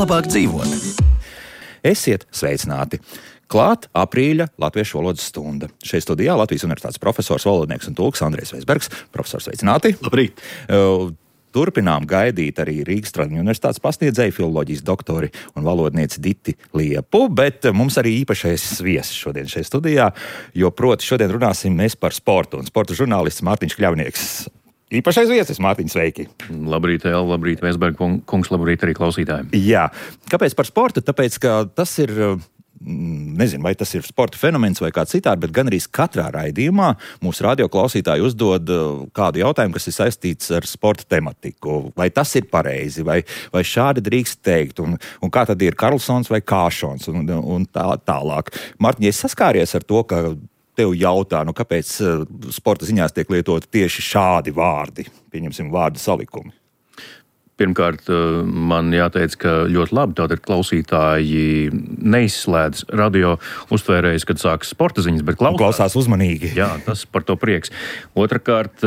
labāk dzīvot. Esiet sveicināti! Klāt aprīļa latviešu valodas stunda. Šeit studijā Latvijas Universitātes profesors, valodnieks un tulks Andrejs Veisbergs. Profesors, sveicināti! Labrīt! Turpinām gaidīt arī Rīgas Tradiņu universitātes pasniedzēju, filoloģijas doktori un valodnieci Diti Liepu, bet mums arī īpašais viesis šodien šeit studijā, jo proti šodien runāsim mēs par sportu, un sporta žurnālists Mārtiņš Kļavnieks. Īpašais viesis, Mārtiņ, sveiki! Labrīt, Ela, labrīt, Veisberg kungs, labrīt arī klausītājiem. Jā, kāpēc par sportu? Tāpēc, ka tas ir... Nezinu, vai tas ir sporta fenomens vai kā citādi, bet gan arī katrā raidījumā mūsu radioklausītāji uzdod kādu jautājumu, kas ir saistīts ar sporta tematiku. Vai tas ir pareizi, vai šādi drīkst teikt, un kā tad ir Karlsons vai Kāšons, un tālāk. Mārtiņ, es saskāries ar to, ka tev jautā, kāpēc sporta ziņās tiek lietoti tieši šādi vārdi, pieņemsim vārdu salikumi. Pirmkārt, man jāteic, ka ļoti labi tātad klausītāji neizslēdz radio uztvērējus, kad sākas sporta ziņas, bet klausās uzmanīgi. Jā, tas par to prieks. Otrakārt,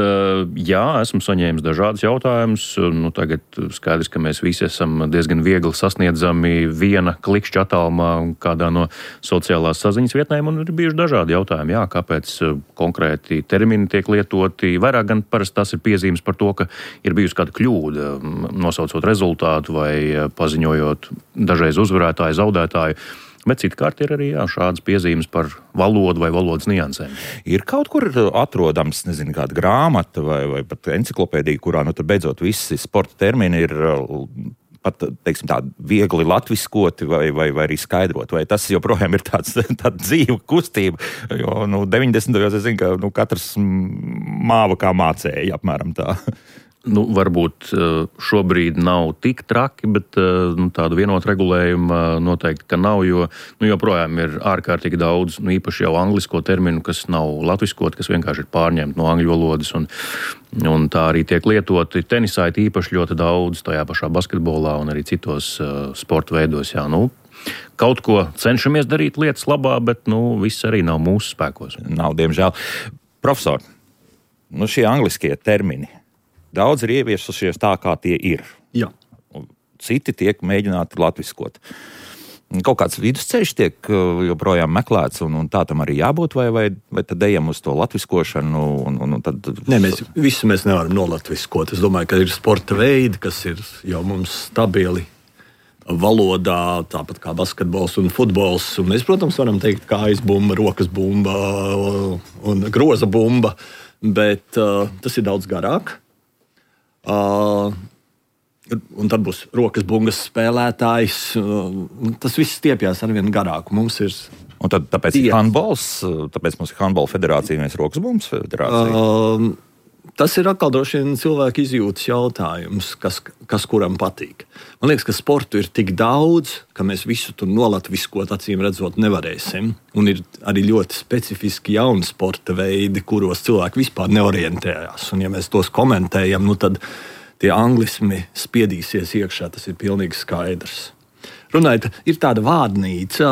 jā, esmu saņēmis dažādus jautājumus. Tagad skaidrs, ka mēs visi esam diezgan viegli sasniedzami viena klikšķa attālumā kādā no sociālās saziņas vietnēm, un ir bijuši dažādi jautājumi. Jā, kāpēc konkrēti termini tiek lietoti? Vairāk gan parasti tas ir piezīmes par to, ka ir bijusi kāda kļūda, nosaucot rezultātu vai paziņojot dažreiz uzvarētāju, zaudētāju. Bet citkārt ir arī šādas piezīmes par valodu vai valodas niansēm. Ir kaut kur atrodams, kāda grāmata vai pat enciklopēdija, kurā tad beidzot visi sporta termini ir pat, teiksim tā, viegli latviskoti vai arī skaidrot, vai tas joprojām ir tāda dzīva kustība, jo 90. es zinu, ka katrs māva kā mācēja, apmēram tā. Varbūt šobrīd nav tik traki, bet tādu vienotu regulējumu noteikti, ka nav, jo joprojām ir ārkārtīgi daudz, īpaši jau anglisko terminu, kas nav latviskot, kas vienkārši ir pārņemti no angļu valodas, un tā arī tiek lietoti. Tenisā ir īpaši ļoti daudz, tajā pašā basketbolā un arī citos sporta veidos. Jā, kaut ko cenšamies darīt lietas labā, bet viss arī nav mūsu spēkos. Nav, diemžēl. Profesor, šie angliskie termini, daudz ir ieviesušies tā, kā tie ir. Jā. Citi tiek mēģināti latviskot. Kaut kāds vidusceļš tiek joprojām meklēts, un tā tam arī jābūt, vai tad ejam uz to latviskošanu? Tad... Nē, mēs nevaram nolatviskot. Es domāju, ka ir sporta veidi, kas ir jau mums stabili valodā, tāpat kā basketbols un futbols. Un mēs, protams, varam teikt kājas bumba, rokas bumba un groza bumba, bet tas ir daudz garāk. Un tad būs rokas bungas spēlētājs. Tas viss stiepjas arvien garāk. Mums ir. Un tad tāpēc ir handbols, tāpēc mums ir handbola federācija, mēs rokas bungas federācija. Tas ir atkal droši vien cilvēku izjūtas jautājums, kas kuram patīk. Man liekas, ka sportu ir tik daudz, ka mēs visu tur nolatviskot, acīm redzot, nevarēsim. Un ir arī ļoti specifiski jauni sporta veidi, kuros cilvēki vispār neorientējās. Un ja mēs tos komentējam, tad tie anglismi spiedīsies iekšā, tas ir pilnīgi skaidrs. Runājot, ir tāda vārnīca,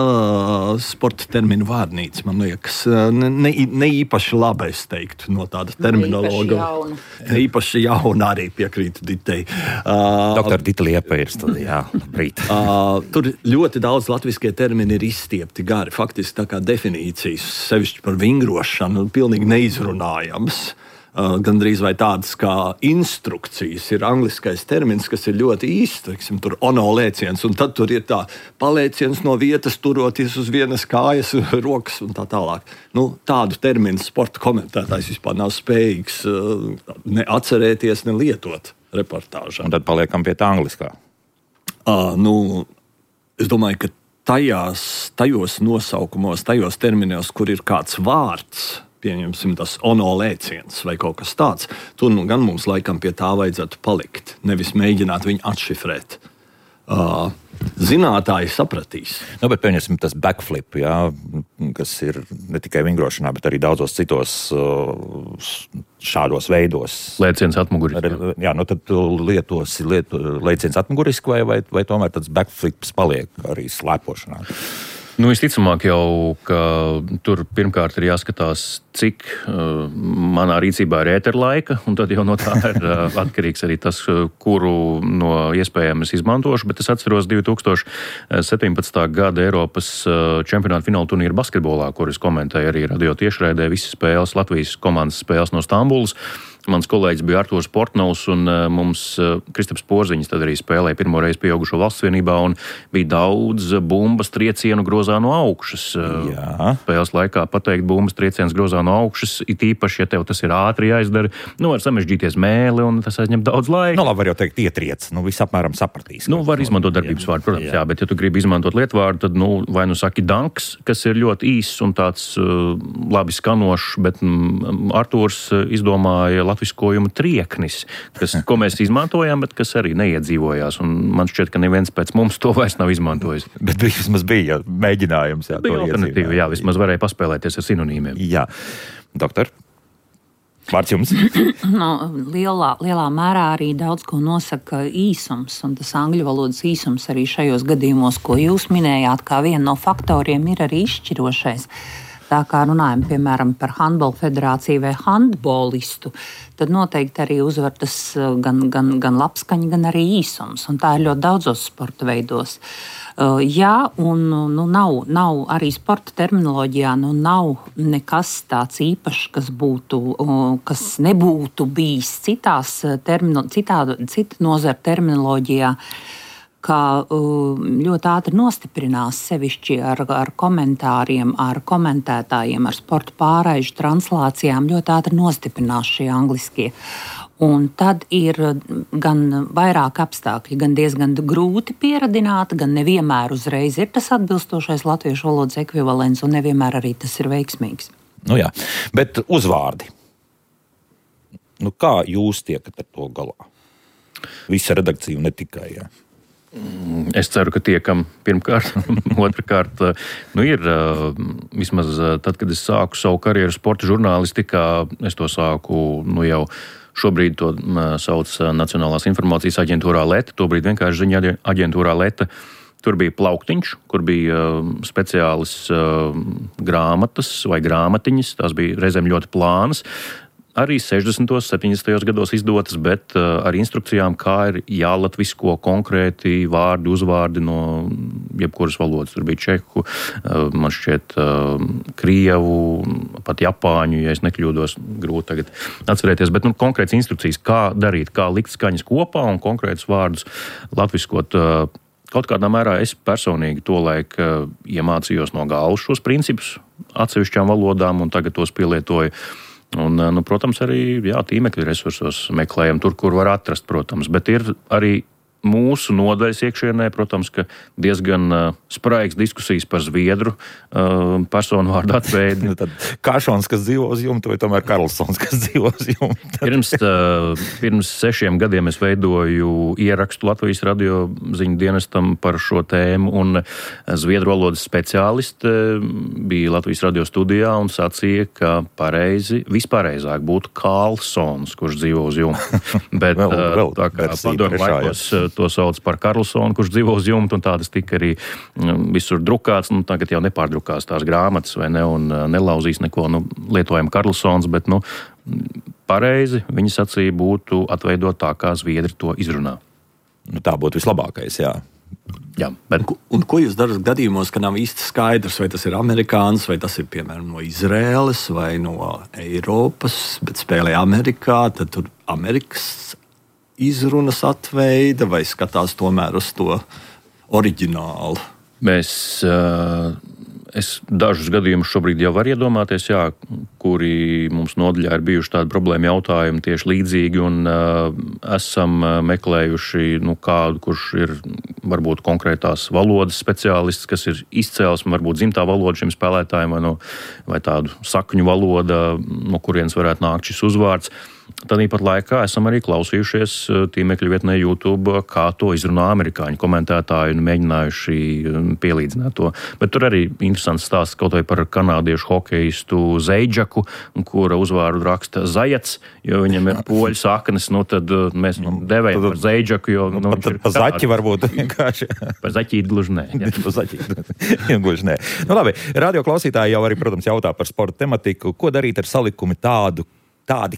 sporta terminu vārnīca, man liekas, ne īpaši laba, es teiktu, no tāda terminologa. Īpaši jauna arī piekrītu Ditei. Doktor Dita Liepa ir studijā. Labrīt. Tur ļoti daudz latviskie termini ir izstiepti gari, faktiski tā kā definīcijas, sevišķi par vingrošanu, pilnīgi neizrunājams. Gandrīz vai tādas kā instrukcijas ir angliskais termins, kas ir ļoti īsts, teiksim, tur ono lēciens, un tad tur ir tā palēciens no vietas, turoties uz vienas kājas, rokas un tā tālāk. Tādu terminu sporta komentētājs vispār nav spējīgs ne atcerēties, ne lietot reportāžā. Un tad paliekam pie tā angliskā. Es domāju, ka tajos nosaukumos, tajos terminos, kur ir kāds vārds, pieņemsim tas ono lēciens vai kaut kas tāds, tur gan mums laikam pie tā vajadzētu palikt, nevis mēģināt viņu atšifrēt. Zinātāji sapratīs. Bet pieņemsim tas backflip, kas ir ne tikai vingrošanā, bet arī daudzos citos šādos veidos. Lēciens atmuguriski. Tad tu lietosi lēciens atmuguriski vai tomēr tāds backflips paliek arī slēpošanā? Visticamāk jau, ka tur pirmkārt ir jāskatās, cik manā rīcībā ir ēterlaika, un tad jau no tā ir atkarīgs arī tas, kuru no iespējām es izmantošu, bet es atceros 2017. Gada Eiropas čempionāta fināla turnīra basketbolā, kur es komentēju arī radio tiešraidē visas spēles, Latvijas komandas spēles no Stambulas. Mans kolēģis bija Artūrs Portnovs, un mums Kristaps Porziņš tad arī spēlēja pirmo reizi pieaugušo valsts vienībā, un bija daudz bumbas triecienu grozā no augšas. Jā. Spēles laikā pateikt bumbas trieciens grozā no augšas, it īpaši, ja tev tas ir ātri jāizdara, var samežģīties mēli, un tas aizņem daudz laika. Labi, var jau teikt ietriec, visapmēram sapratīs. Var izmantot darbības vārdu, protams, jā, bet ja tu gribi izmantot lietvārdu, tad, vai saki danks, kas ir ļoti īss un tāds labi skanošs, bet Artūrs izdomāja latviskojumu trieknis, ko mēs izmantojām, bet kas arī neiedzīvojās. Un man šķiet, ka neviens pēc mums to vairs nav izmantojis. Bet vismaz bija mēģinājums. Jā, bija alternatīva, jā, vismaz varēja paspēlēties ar sinonīmiem. Jā. Doktor, vārds jums. Lielā mērā arī daudz ko nosaka īsums, un tas angļu valodas īsums arī šajos gadījumos, ko jūs minējāt, kā viena no faktoriem ir arī izšķirošais. Tā kā runājam, piemēram, par handbola federāciju vai handbolistu, tad noteikti arī uzvar tas gan labskaņa, gan arī īsums. Un tā ir ļoti daudzos sporta veidos. Jā, un nav arī sporta terminoloģijā, nav nekas tāds īpašs, kas nebūtu bijis citu nozaru terminoloģijā, kā ļoti ātri nostiprinās sevišķi ar komentāriem, ar komentētājiem, ar sporta pārraižu translācijām, ļoti ātri nostiprinās šie angliskie. Un tad ir gan vairāk apstākļi, gan diezgan grūti pieradināt, gan nevienmēr uzreiz ir tas atbilstošais latviešu valodas ekvivalents, un nevienmēr arī tas ir veiksmīgs. Jā, bet uzvārdi. Kā jūs tiekat ar to galā? Visa redakcija ne tikai, jā. Es ceru, ka tiekam pirmkārt, otrkārt, ir vismaz tad, kad es sāku savu karjeru sporta žurnālistikā, es to sāku jau šobrīd to sauc Nacionālās informācijas aģentūrā Leta, tobrīd vienkārši ziņa aģentūrā Leta. Tur bija plauktiņš, kur bija speciālas grāmatas vai grāmatiņas, tās bija reizēm ļoti plānas. Arī 60. 70. gados izdotas, bet ar instrukcijām, kā ir jālatvisko konkrēti vārdi, uzvārdi no jebkuras valodas. Tur bija čehu, man šķiet krievu, pat japāņu, ja es nekļūdos, grūti tagad atcerēties, bet konkrētas instrukcijas, kā darīt, kā likt skaņas kopā un konkrētus vārdus latviskot. Kaut kādā mērā es personīgi tolaik iemācījos no galvas šos principus atsevišķām valodām un tagad tos pielietoju. Un, protams, arī tīmekļa resursos meklējam tur, kur var atrast, protams, bet ir arī mūsu nodaļas iekšienē, protams, ka diezgan spraigas diskusijas par zviedru personu vārdu atveidi. Tad Kāšons, kas dzīvo uz jumta, vai tomēr Karlsons, kas dzīvo uz jumta? Pirms 6 gadiem es veidoju ierakstu Latvijas radio ziņu dienestam par šo tēmu, un zviedru valodas speciāliste bija Latvijas radio studijā un sacīja, ka vispārējāk būtu Karlsons, kurš dzīvo uz jumta. Bet tā kā padomu laikos to sauc par Karlsonu, kurš dzīvo uz jumta, un tādas tika arī visur drukāts. Tagad jau nepārdrukās tās grāmatas vai ne, un nelauzīs neko. Lietojam Karlsons, bet pareizi viņa sacīja būtu atveidot tā, kā zviedri to izrunā. Tā būtu vislabākais, jā. Jā, bet... Un ko jūs darat gadījumos, ka nav īsti skaidrs, vai tas ir amerikānis, vai tas ir, piemēram, no Izraēlas vai no Eiropas, bet spēlē Amerikā, tad tur Amerikas izrunas atveida vai skatās tomēr uz to oriģinālu? Es dažus gadījumus šobrīd jau varu iedomāties, kuri mums nodaļā ir bijuši tādi problēma jautājumi tieši līdzīgi, un esam meklējuši kādu, kurš ir varbūt konkrētās valodas speciālists, kas ir izcēlesme, varbūt dzimtā valoda šim spēlētājiem vai tādu sakņu valoda, no kurienes varētu nākt šis uzvārds. Tāpat laikā esam arī klausījušies tīmekļa vietnē YouTube, kā to izrunā amerikāņu komentētāji un mēģinājuši pielīdzināt to. Bet tur arī interesants stāsts kaut vai par kanādiešu hokeistu Zeidžaku, kura uzvārdu raksta Zajats, jo viņam ir poļu saknes, tad mēs viņu devējam par Zeidžaku, jo... Pa zaķi varbūt vienkārši. Par zaķīti gluži nē. Pa zaķīti gluži nē. Labi, radio klausītāji jau arī, protams, jautā par sporta tematiku. Ko darīt ar salikumi tādi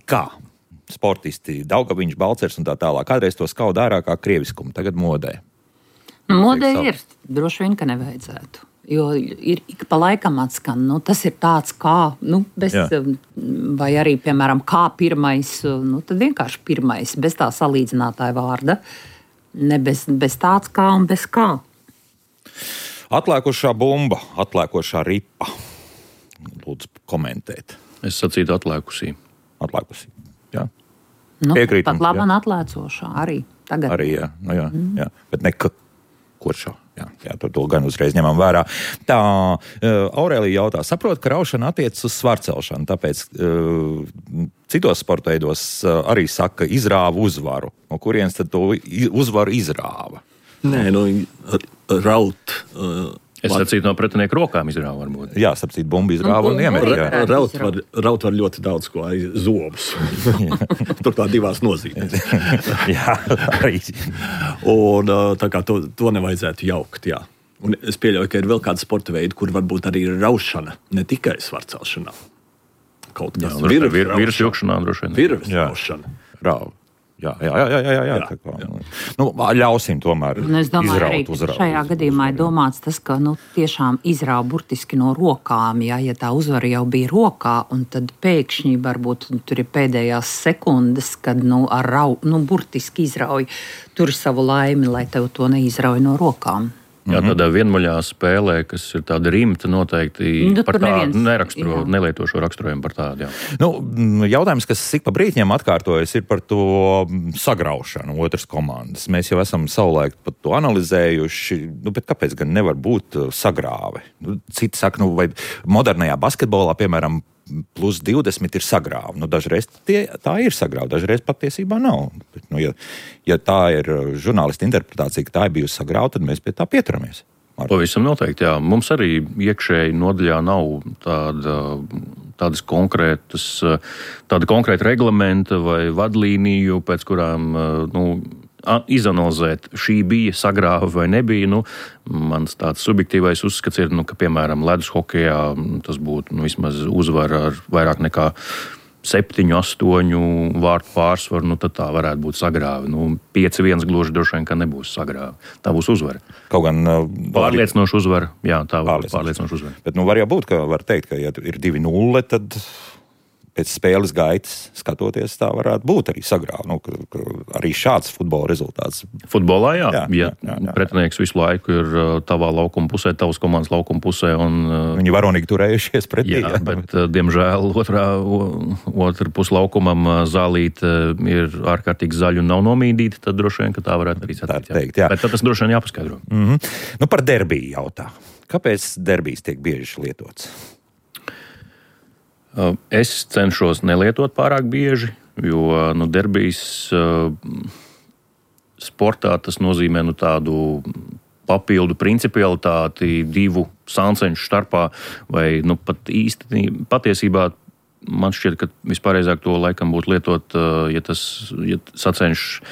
kā? Sportisti, Daugaviņš, Balcers un tā tālāk. Kādreiz to skauda ārā kā krieviskumu, tagad modē. Modē ir, droši vien, ka nevajadzētu. Jo ir ik pa laikam atskan, tas ir tāds kā, vai arī, piemēram, kā pirmais, tad vienkārši pirmais, bez tā salīdzinātāja vārda. Ne bez tāds kā un bez kā. Atlēkošā bumba, atlēkošā ripa. Lūdzu, komentēt. Es sacītu atlēkusī. Atlēkusī, jā. Piekrītam. Pat labam atlēcošā arī tagad. Arī, jā. Bet ne kuršā. Jā, to gan uzreiz ņemam vērā. Tā, Aurēlija jautā, saprot, ka raušana attiecas uz svarcelšanu, tāpēc citos sporta veidos arī saka izrāva uzvaru. No kurienes tad to uzvaru izrāva? Nē, raut... Es sacītu no pretinieku rokām izrāva varbūt. Jā, sapcīt, bumbu izrāva un iemet. Raut var ļoti daudz ko, zobus. Turklāt divās nozīmēs. Jā, arī. Un tā kā to nevajadzētu jaukt, jā. Un es pieļauju, ka ir vēl kāda sporta veida, kur varbūt arī ir raušana, ne tikai svarcelšanā. Kaut kas virves vilkšanā droši vien. Virves raušana. Rauva. Jā. Ļausim tomēr izraut uzraut. Šajā gadījumā ir domāts tas, ka tiešām izrāva burtiski no rokām, ja tā uzvara jau bija rokā, un tad pēkšņi varbūt tur ir pēdējās sekundes, kad burtiski izrauj tur savu laimi, lai tev to neizrauj no rokām. Jā, tādā vienmaļā spēlē, kas ir tāda rimta, noteikti par tādu nelietošo raksturojumu par tādu. Jā. Jautājums, kas ik pa brītņiem atkārtojas, ir par to sagraušanu otras komandas. Mēs jau esam savulaik pat to analizējuši, bet kāpēc gan nevar būt sagrāve? Citi saka, vai modernajā basketbolā, piemēram, plus 20 ir sagrāva. Dažreiz tā ir sagrāva, dažreiz patiesībā nav. Bet, ja tā ir žurnālista interpretācija, ka tā ir bijusi sagrāva, tad mēs pie tā pieturamies. Pavisam noteikti, jā. Mums arī iekšēji nodaļā nav tāda konkrēta reglamenta vai vadlīniju, pēc kurām izanalizēt, šī bija sagrāva vai nebija. Mans tāds subjektīvais uzskats ir, ka, piemēram, ledus hokejā tas būtu vismaz uzvara ar vairāk nekā 7-8 vārtu pārsvaru, tad tā varētu būt sagrāva. 5-1 gluži droši vien, ka nebūs sagrāva. Tā būs uzvara. Kaut gan pārliecinoša uzvara. Jā, tā var būt pārliecinoša uzvara. Bet var jau būt, ka var teikt, ka ja ir 2-0, tad pēc spēles gaitas skatoties, tā varētu būt arī sagrāva. Arī šāds futbola rezultāts. Futbolā, jā. Pretinieks visu laiku ir tavā laukuma pusē, tavas komandas laukuma pusē. Viņi varonīgi turējušies pretī. Jā, bet, diemžēl, otra puslaukumam zālīte ir ārkārtīgi zaļa un nav nomīdīta, tad droši vien, ka tā varētu arī teikt. Bet tad tas droši vien jāpaskaidro. Par derbiju jautā. Kāpēc derbijs tiek bieži lietots? Es cenšos nelietot pārāk bieži, jo derbijs sportā tas nozīmē tādu papildu principialitāti divu sānceņšu starpā, vai pat īsti patiesībā man šķiet, ka vispareizāk to laikam būtu lietot, ja sacenš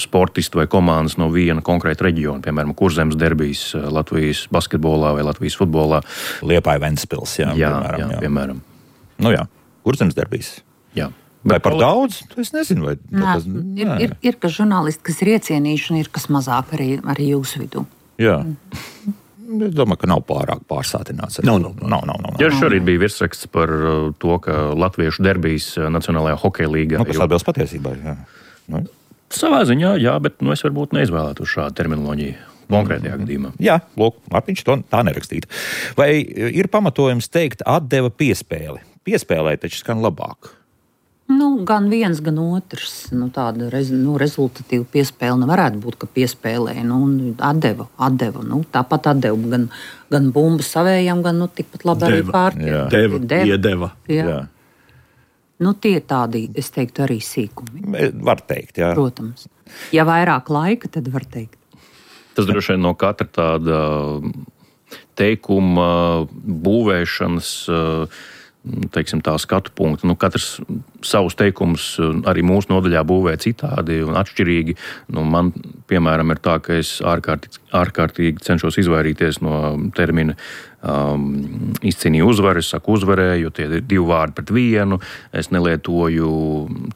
sportisti vai komandas no viena konkrēta reģiona, piemēram, Kurzemes derbijs Latvijas basketbolā vai Latvijas futbolā. Liepāja Ventspils, piemēram. Kurzemes derbijs. Jā. Vai par daudz? Es nezinu, vai tas... Ir kas žurnālisti, kas ir iecienījuši, un ir kas mazāk arī jūsu vidū. Jā. Es domāju, ka nav pārāk pārsātināts. Nav. Jā, šorīt bija virsraksts par to, ka latviešu derbijs Nacionālajā hokeja līgā. Kas atbilst patiesībai, jā. Savā ziņā, jā, bet es varbūt neizvēlētu šādu terminoloģiju. Konkrētajā gadījumā. Jā, Mārtiņš to tā nerakstītu. Vai ir pamatojums teikt atdeva piespēli? Piespēlē taču skan labāk. Gan viens, gan otrs. Tāda rezultatīva piespēle nevarētu būt, ka piespēlē. Atdeva. Tāpat atdeva gan bumbu savējam, gan tikpat labi arī pārtiem. Iedeva. Jā. Nu, tie tādi, es teiktu, arī sīkumi. Var teikt, jā. Protams. Ja vairāk laika, tad var teikt. Tas droši vien no katra tāda teikuma būvēšanas, teiksim, tā skatu punkta. Nu, katrs savus teikumus arī mūsu nodaļā būvē citādi un atšķirīgi. Nu, man, piemēram, ir tā, ka es ārkārtīgi cenšos izvairīties no termina izcīnīju uzvaru, es saku uzvarēju, jo tie ir 2 vārdi pret 1. Es nelietoju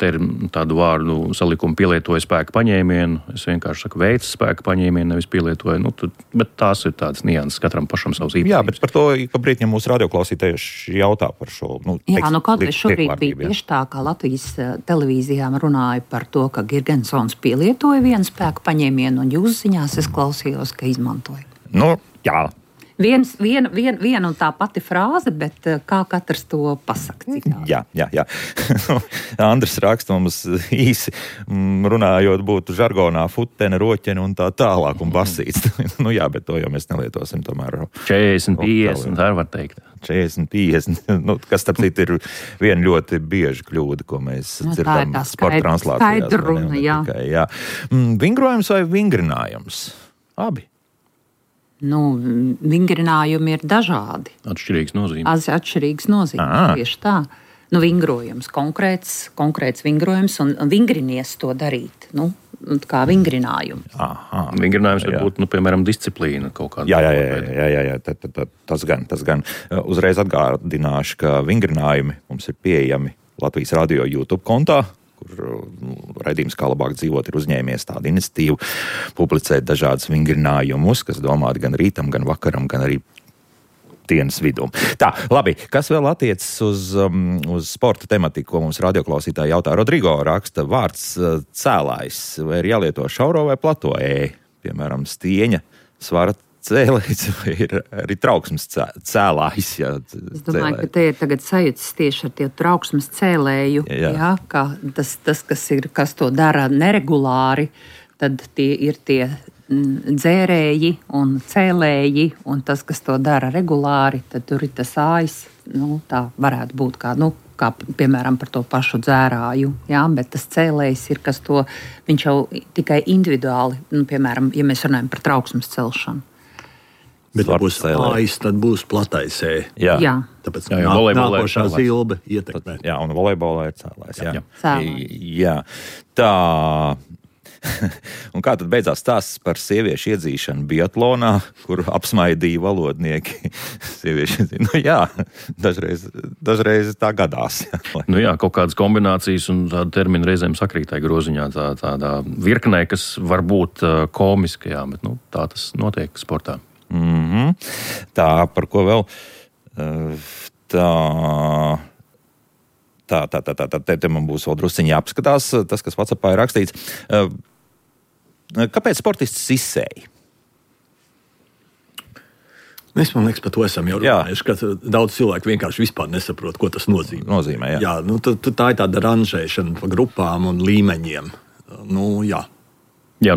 tādu vārdu salikumu, pielietoju spēka paņēmienu. Es vienkārši saku veids spēka paņēmienu, nevis pielietoju. Nu, bet tās ir tādas nianses, katram pašam savs īpašības. Jā, bet par to, ka brīdņi mūsu radioklausītāji jautā par šo. Jā, kaut kā šorīt bija tieši tā, kā Latvijas televīzijām runāja par to, ka Girgensons pielietoja vienu spēku paņēmienu, un jūsu ziņās es klausījos, ka izmantoja. Nu, jā. Viena un tā pati frāze, bet kā katrs to pasaka citādi. Jā. Andris raksta mums īsi runājot, būtu žargonā futene, roķene un tā tālāk un basīts. Jā, bet to jau mēs nelietosim tomēr. 40-50, tā var teikt. 40-50, kas starp citu ir viena ļoti bieža kļūda, ko mēs dzirdam sporta translācijās. Skaidruna, jā. Vingrojums vai vingrinājums? Abi. Vingrinājumi ir dažādi. Atšķirīgs nozīmes. Atšķirīgs nozīmes, tieši tā. Vingrojums, konkrēts vingrojums, un vingrinies to darīt, kā vingrinājums. Vingrinājums var būt, piemēram, disciplīna kaut kāda. Jā, tas gan. Uzreiz atgādināšu, ka vingrinājumi mums ir pieejami Latvijas radio YouTube kontā, kur raidījums Kā labāk dzīvot ir uzņēmies tādu iniciatīvu publicēt dažādas vingrinājumus, kas domāti gan rītam, gan vakaram, gan arī dienas vidū. Tā, labi, kas vēl attiecas uz sporta tematiku, ko mums radioklausītāji jautā? Rodrigo raksta, vārds cēlājs, vai ir jālieto šauro vai plato piemēram, stieņa, svara cēlējs vai ir arī trauksmes cēlājs. Es domāju, ka te ir tagad sajūtas tieši ar tie trauksmes cēlēju. Jā, ka tas kas to dara neregulāri, tad tie ir tie dzērēji un cēlēji, un tas, kas to dara regulāri, tad tur ir tas ājs. Tā varētu būt kā piemēram par to pašu dzērāju, bet tas cēlējs ir, kas to, viņš jau tikai individuāli, piemēram, ja mēs runājam par trauksmes celšanu. Bet ja būs ājs, tad būs platais ē. Jā. Tāpēc nākošā zilbe ietekmē. Jā, un volejbolā ir cēlājs. Cēlājs. Jā. Tā. Un kā tad beidzās stāsts par sieviešu iedzīšanu biatlonā, kur apsmaidīja valodnieki sieviešu? Dažreiz tā gadās. Kaut kādas kombinācijas un tāda termina reizēm sakrītāja groziņā, tādā virknē, kas var būt komiska, bet tā tas notiek sportā. Tā, par ko vēl? Te man būs vēl drusciņi jāapskatās, tas, kas WhatsAppā ir rakstīts. Kāpēc sportists izsēja? Mēs, man liekas, par to esam jau runājuši, ka daudz cilvēku vienkārši vispār nesaprot, ko tas nozīmē. Jā, tā ir tāda ranžēšana pa grupām un līmeņiem. Jā,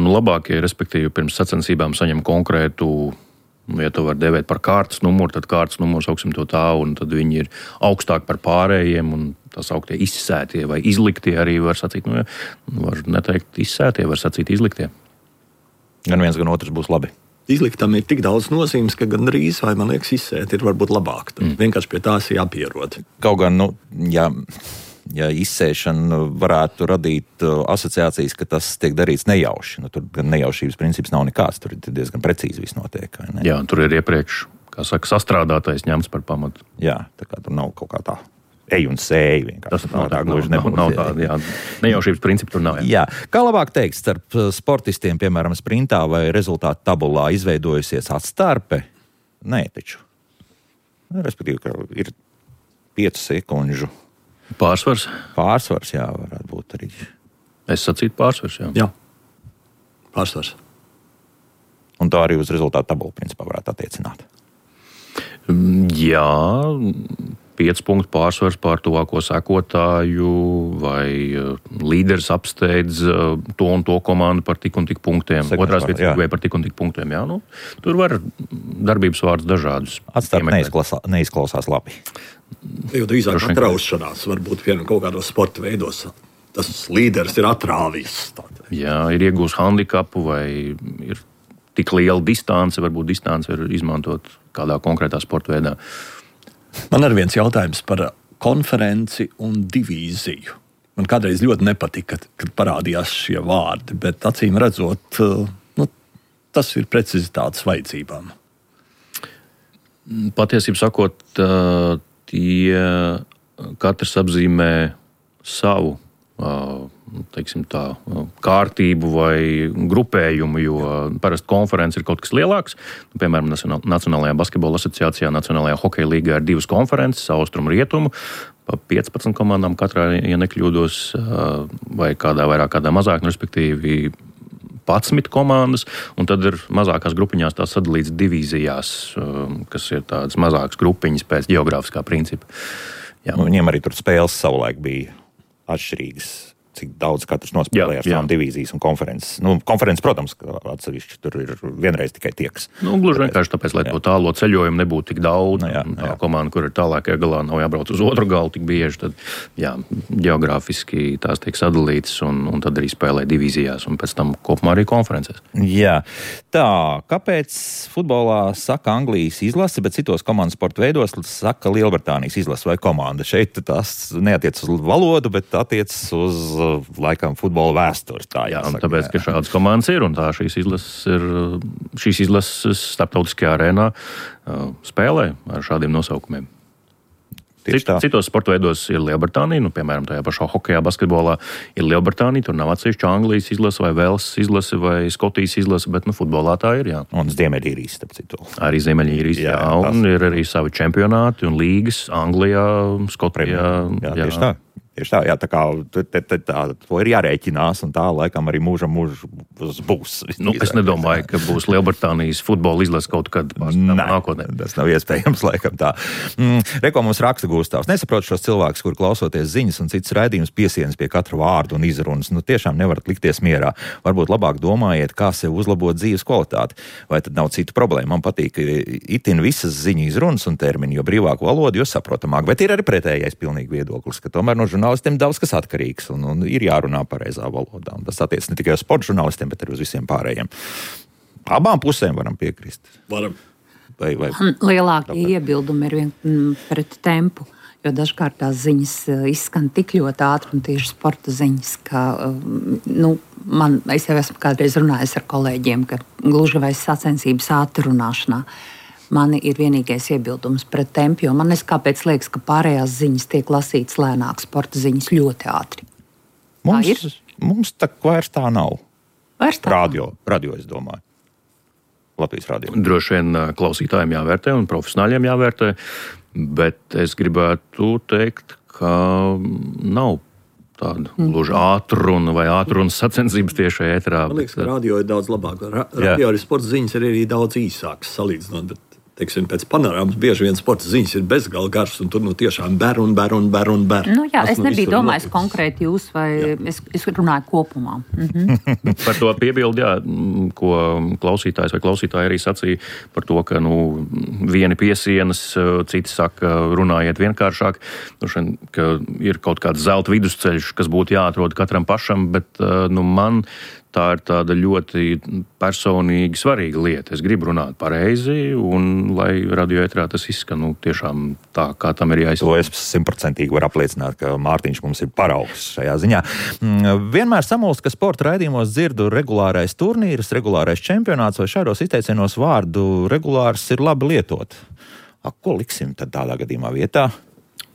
labākie, respektīvi, pirms sacensībām saņem konkrētu, ja to var devēt par kārtas numuru, tad kārtas numurs augsim to tā, un tad viņi ir augstāk par pārējiem, un tā sauktie izsētie vai izliktie arī var sacīt, var neteikt izsētie, var sacīt izliktie. Gan viens, gan otrs būs labi. Izliktam ir tik daudz nozīmes, ka gan drīz, vai man liekas, izsēt ir varbūt labāk. Vienkārši pie tās jāpierod. Kaut gan, ja izsēšana varētu radīt asociācijas, ka tas tiek darīts nejauši. Tur gan nejaušības princips nav nekāds, tur ir diezgan precīzi viss notiek. Jā, tur ir iepriekš, kā saka, sastrādātais ņemts par pamatu. Jā, tā kā tur nav kaut kā tā ej un sēj vienkārši. Tas nav tāda, jā. Nejaušības principi tur nav. Jā. Kā labāk teikt, starp sportistiem, piemēram, sprintā vai rezultātu tabulā izveidojusies atstarpe? Nē, taču. Respektīvi, ka ir 5 sekundžu Pārsvars, jā, varētu būt arī. Es sacītu pārsvars, jā. Jā, pārsvars. Un tā arī uz rezultātu tabulu principā varētu attiecināt. Jā, 5 punktu pārsvars pār tuvāko sekotāju, vai līderis apsteidz to un to komandu par tik un tik punktiem, otrās vietas vai par tik un tik punktiem. Jā, nu, tur var darbības vārdus dažādus. Atstāt neizklausās labi. Jo drīzāk atraušanās varbūt kaut kādos sporta veidos. Tas līderis ir atrāvis. Jā, ir iegūs handikapu vai ir tik liela distance, varbūt distance var izmantot kādā konkrētā sporta veidā. Man ir viens jautājums par konferenci un divīziju. Man kādreiz ļoti nepatika, kad parādījās šie vārdi, bet acīm redzot, tas ir precizitātes vajadzībām. Patiesībā sakot, tie katrs apzīmē savu teiksim tā, kārtību vai grupējumu, jo parasti konferences ir kaut kas lielāks. Piemēram, Nacionālajā basketbola asociācijā, Nacionālajā hokeja līgā ir 2 konferences, austrumu rietumu, pa 15 komandām katrā, ja nekļūdos, vai kādā vairāk, kādā mazāk, respektīvi 11 komandas, un tad ir mazākās grupiņās tās sadalīts divīzijās, kas ir tādas mazākas grupiņas pēc geogrāfiskā principa. Jā. Viņiem arī tur spēles savulaik bija atšķirīgas, cik daudz katrs nospēlēja ar savām divīzijas un konferences. Konferences, protams, atsevišķi tur ir vienreiz tikai tieks. Gluži vienkārši tāpēc, lai to tālo ceļojumu nebūtu tik daudz. Tā komanda, kur ir tālākajā galā, nav jābrauc uz otru galu tik bieži, tad geogrāfiski tās tiek sadalītas un tad arī spēlē divīzijās un pēc tam kopumā arī konferences. Jā. Tā, kāpēc futbolā saka Anglijas izlase, bet citos komandas sporta veidos saka Lielbritānijas izlase vai komanda? Šeit tas neatiec uz valodu, bet attiec uz laikam futbola vēstures. Tāpēc, ka šādas komandas ir un tā šīs izlases starptautiskajā arēnā spēlē ar šādiem nosaukumiem. Citos sporta veidos ir Lielbritānija, piemēram, tajā pašā hokejā, basketbolā ir Lielbritānija, tur nav atsevišķa Anglijas izlase vai Velsas izlase vai Skotijas izlase, bet futbolā tā ir, jā. Un Ziemeļīrijas, starp citu. Arī Ziemeļīrijas, jā. Un ir arī savi čempionāti un līgas Anglijā, Skotijā. Jā, tieši tā. Tieši tā, jā, tā kā to ir jārēķinās, un tā laikam arī mūžam būs. Es nedomāju, ka būs Lielbritānijas futbola izlase kaut kad nākotnē. Tas nav iespējams, laikam tā. Reko mums raksta Gustavs. Nesaprotu šos cilvēkus, kur klausoties ziņas un citas raidījumus piesienas pie katra vārdu un izrunas. Tiešām nevarat likties mierā. Varbūt labāk domājiet, kā sev uzlabot dzīves kvalitāti. Vai tad nav citu problēmu? Man patīk itin visas ziņu izrunas un termini, jo brīvāku valodu, jo saprotamāk. Bet ir arī pretējais pilnīgi viedoklis, ka tomēr no žurnālistiem daudz kas atkarīgs un ir jārunā pareizā valodā. Un tas attiec ne tikai uz sporta žurnālistiem, bet arī uz visiem pārējiem. Abām pusēm varam piekrist. Varam. Vai lielākie iebildumi ir pret tempu, jo dažkārt tās ziņas izskan tik ļoti ātri un tieši sporta ziņas, ka es jau esmu kādreiz runājis ar kolēģiem, ka gluži vai sacensības ātrunāšanā. Man ir vienīgais iebildums pret tempu, jo man kāpēc liekas, ka pārējās ziņas tiek lasītas lēnāk, sporta ziņas ļoti ātri. Mums tā vairs tā nav. Vairs tā radio, es domāju. Latvijas radio. Droši vien klausītājiem jāvērtē un profesionāļiem jāvērtē, bet es gribētu teikt, ka nav tāda gluži ātruna vai ātrunas sacensības tiešā ēterā. Man liekas, ka radio ir daudz labāk. Radio arī sporta ziņas ir arī daudz īsākas salīdzinot, bet pēc panorāmas bieži vien sporta ziņas ir bezgala garš, un tur tiešām ber. Es nebiju domājis konkrēti jūs, vai es runāju kopumā. Par to piebildi, ko klausītājs vai klausītāji arī sacīja par to, ka vieni piesienas, citi saka, runājiet vienkāršāk, ka ir kaut kāds zelta vidusceļš, kas būtu jāatrod katram pašam, bet man tā ir tāda ļoti personīgi svarīga lieta. Es gribu runāt pareizi, un lai radioētrā tas izskan tiešām tā, kā tam ir jāizsaka. To es 100% varu apliecināt, ka Mārtiņš mums ir paraugs šajā ziņā. Vienmēr samulst, ka sporta raidījumos dzirdu regulārais turnīrs, regulārais čempionāts, vai šādos izteicienos vārdu regulārs ir labi lietot. Ko liksim tad tādā gadījumā vietā?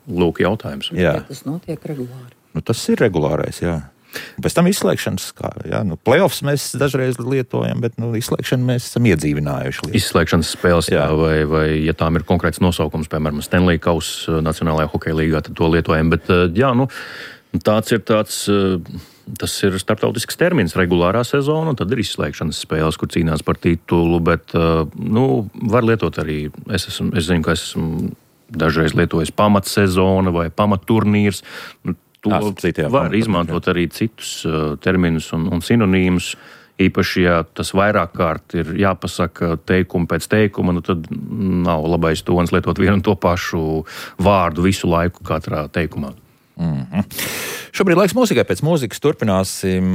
Lūk, jautājums. Jā. Tas notiek regulāri. Tas ir regulārais, jā. Pēc tam izslēgšanas, playoffs mēs dažreiz lietojam, bet izslēgšanu mēs esam iedzīvinājuši. Izslēgšanas spēles, vai ja tām ir konkrēts nosaukums, piemēram, Stanley Kausa Nacionālajā hokeja līgā, tad to lietojam. Bet, tas ir starptautisks termins, regulārā sezona, un tad ir izslēgšanas spēles, kur cīnās par titulu, bet, var lietot arī, es zinu, ka esmu dažreiz lietojas pamatsezona vai pamatturnīrs. To var izmantot arī citus terminus un sinonīmus. Īpaši, ja tas vairāk kārt ir jāpasaka teikumu pēc teikuma, tad nav labais tonis lietot vienu un to pašu vārdu visu laiku katrā teikumā. Šobrīd laiks mūzikai. Pēc mūzikas turpināsim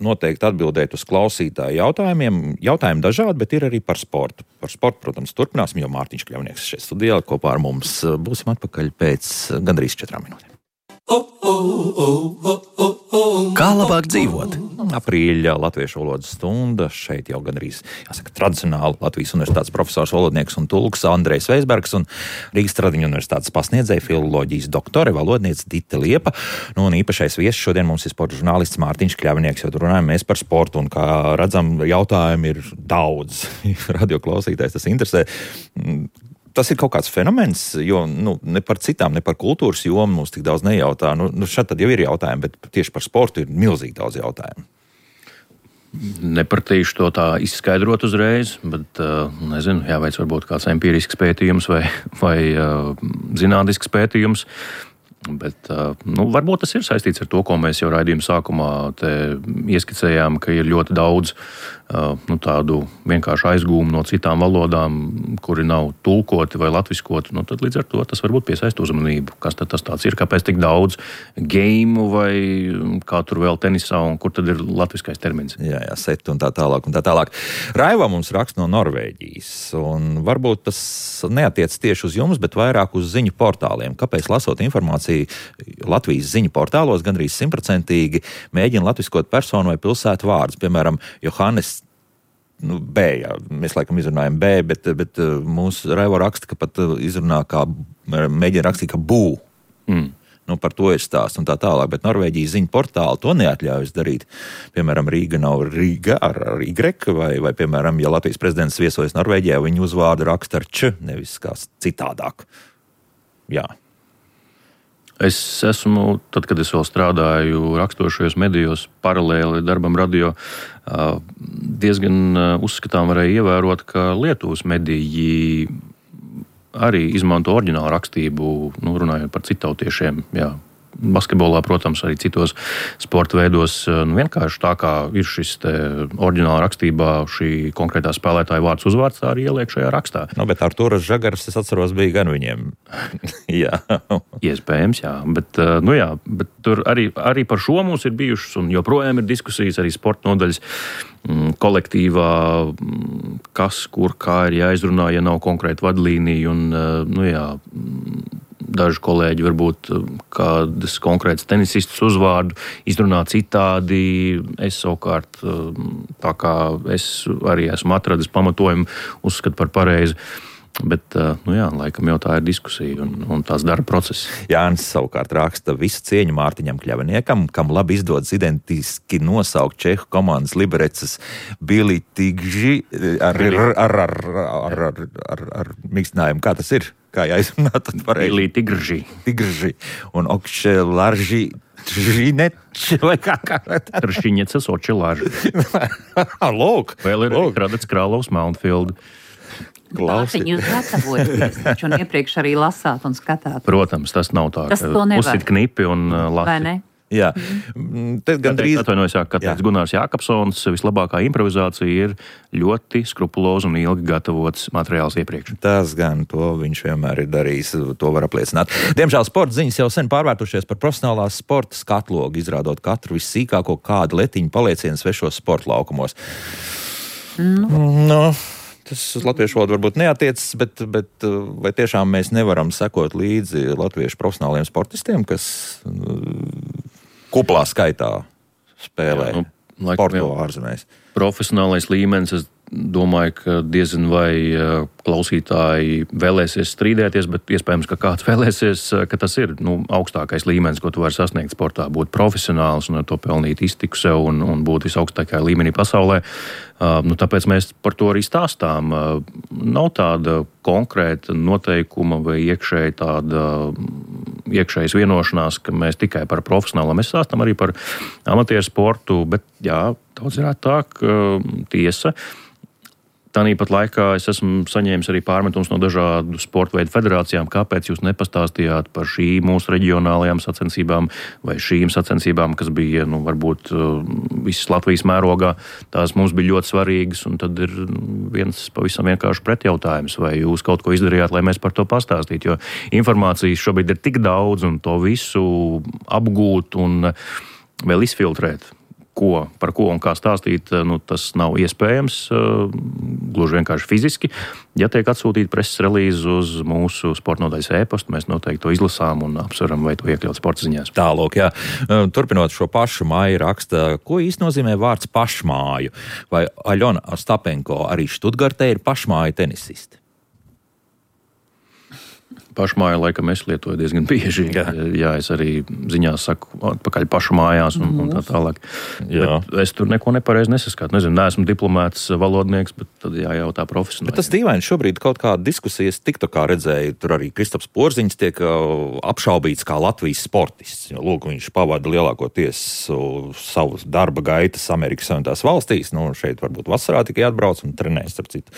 noteikti atbildēt uz klausītāju jautājumiem. Jautājumi dažādi, bet ir arī par sportu. Par sportu, protams, turpināsim, jo Mārtiņš Kļavnieks šeit studijā kopā ar mums. Būsim atpakaļ pēc gandrīz 4 minūtēm. Kā labāk dzīvot? Aprīļa latviešu valodas stunda. Šeit jau gandrīz, jāsaka, tradicionāli Latvijas universitātes profesors, valodnieks un tulks Andrejs Veisbergs un Rīgas Tradiņu universitātes pasniedzēja filoloģijas doktore, valodniece Dita Liepa. Un īpašais viesis šodien mums ir sporta žurnālists Mārtiņš Kļavnieks, jo tur runājam mēs par sportu. Un, kā redzam, jautājumi ir daudz. Radio klausītājs tas interesē. Tas ir kaut kāds fenomens, jo ne par citām, ne par kultūras jomu mums tik daudz nejautā. Šeit tad jau ir jautājumi, bet tieši par sportu ir milzīgi daudz jautājumu. Nepratīšu to tā izskaidrot uzreiz, bet, nezinu, jāveic varbūt kāds empirisks pētījums vai zinātnisks pētījums. Bet varbūt tas ir saistīts ar to, ko mēs jau raidījuma sākumā ieskicējām, ka ir ļoti daudz tādu vienkārši aizgūmu no citām valodām, kuri nav tulkoti vai latviskoti. Tad līdz ar to tas varbūt piesaista uzmanību. Kas tad tas tāds ir? Kāpēc tik daudz geimu vai kā tur vēl tenisā un kur tad ir latviskais termins? Jā, set un tā tālāk un tā tālāk. Raiva mums raksta no Norvēģijas, un varbūt tas neatiec tieši uz jums, bet vairāk uz ziņu portāliem. Kāpēc lasot informāciju Latvijas ziņu portālos gandrīz 100% mēģina latviskot personu vai pilsētu vārdus, piemēram, Johannes B, jā, mēs laikam izrunājam B, bet mūsu Raivo raksta, ka pat izrunā mēģina rakstīt, ka bū. Par to ir stāsts un tā tālāk, bet Norvēģijas ziņu portāli to neatļaujas darīt. Piemēram, Rīga nav Rīga ar Y, vai piemēram, ja Latvijas prezidents viesojas Norvēģijā, viņu uzvārdu raksta ar Č, nevis kā citādāk. Jā. Es esmu, tad, kad es vēl strādāju rakstošajos medijos, paralēli darbam radio, diezgan uzskatām varēja ievērot, ka Lietuvas mediji arī izmanto oriģinālu rakstību, runājot par citautiešiem, jā. Basketbolā, protams, arī citos sporta veidos. Vienkārši tā kā ir šis oriģināla rakstībā šī konkrētā spēlētāja vārds uzvārds, tā arī ieliek šajā rakstā. Bet Artūras Žagars, es atceros, bija gan viņiem. Jā. Iespējams, jā. Bet tur arī par šo mums ir bijušas un joprojām ir diskusijas arī sporta nodaļas kolektīvā, kas, kur, kā ir jāizrunā, ja nav konkrēta vadlīnija un, daži kolēģi varbūt kādas konkrētas tenisistas uzvārdu izrunā citādi. Es savukārt, tā kā es arī esmu atradis pamatojumu, uzskatu par pareizi. Bet, laikam jau tā ir diskusija un tās darba process. Jānis savukārt raksta visu cieņu Mārtiņam Kļavniekam, kam labi izdodas identiski nosaukt čehu komandas Liberecas Bili Tigži ar mīkstinājumu. Kā tas ir? Kā jāizrunā tad pareizi? Bili Tigži. Tigži un Okšelarži Tržineč vai kā? Tršiņecas Očelārži. Lūk. Vēl ir Radets Krālovs Mountfield. Mārtiņ, jūs gatavojaties taču un iepriekš arī lasāt un skatāt. Protams, tas nav tā, ka uzsit knipi un lasi. Vai ne? Jā. Gandrīz... Atvainojos, ka teiks Gunārs Jākapsons, vislabākā improvizācija ir ļoti skrupulozi un ilgi gatavots materiāls iepriekš. Tas gan, to viņš vienmēr ir darījis, to var apliecināt. Diemžēl sporta ziņas jau sen pārvērtušies par profesionālās sporta skatlogu, izrādot katru vissīkāko kādu letiņu paliecienu svešos sporta laukumos. Tas uz latviešu valodu varbūt neatiecas, bet vai tiešām mēs nevaram sekot līdzi latviešu profesionāliem sportistiem, kas kuplā skaitā spēlē sporto ārzemēs? Profesionālais līmenis, es domāju, ka diezgan vai klausītāji vēlēsies strīdēties, bet iespējams, ka kāds vēlēsies, ka tas ir augstākais līmenis, ko tu vari sasniegt sportā, būt profesionāls un ar to pelnīt iztiku sev un būt visaugstākajā līmenī pasaulē. Tāpēc mēs par to arī stāstām. Nav tāda konkrēta noteikuma vai iekšējas vienošanās, ka mēs tikai par profesionālo, mēs stāstam arī par amatieru sportu, bet jā, daudz ir tā, ka tiesa. Tāpat laikā es esmu saņēmis arī pārmetumus no dažādu sporta veidu federācijām, kāpēc jūs nepastāstījāt par šīm mūsu reģionālajām sacensībām vai šīm sacensībām, kas bija, varbūt visas Latvijas mērogā. Tās mums bija ļoti svarīgas, un tad ir viens pavisam vienkārši pretjautājums, vai jūs kaut ko izdarījāt, lai mēs par to pastāstītu, jo informācijas šobrīd ir tik daudz, un to visu apgūt un vēl izfiltrēt. Par ko un kā stāstīt, tas nav iespējams, gluži vienkārši fiziski. Ja tiek atsūtīta preses relīze uz mūsu sporta nodaļas e-pastu, mēs noteikti to izlasām un apsveram, vai to iekļaut sporta ziņās. Tālāk, jā. Turpinot šo pašu māju raksta, ko īsti nozīmē vārds pašmāju? Vai Aļona Ostapenko arī Štutgartē ir pašmāju tenisisti? Pašmāju laikam es lietoju diezgan bieži. Jā, es arī ziņās saku atpakaļ pašu mājās un tā tālāk. Es tur neko nepareizi nesaskatu. Nezinu, neesmu diplomēts valodnieks, bet tad jājautā profesionāli. Bet tas dīvaini šobrīd kaut kāda diskusijas TikTokā redzēju. Tur arī Kristaps Porziņš tiek apšaubīts kā Latvijas sportists. Lūk, viņš pavada lielākoties savus darba gaitas Amerikas Savienotās valstīs. Šeit varbūt vasarā tikai atbrauc un trenēs, starp citu.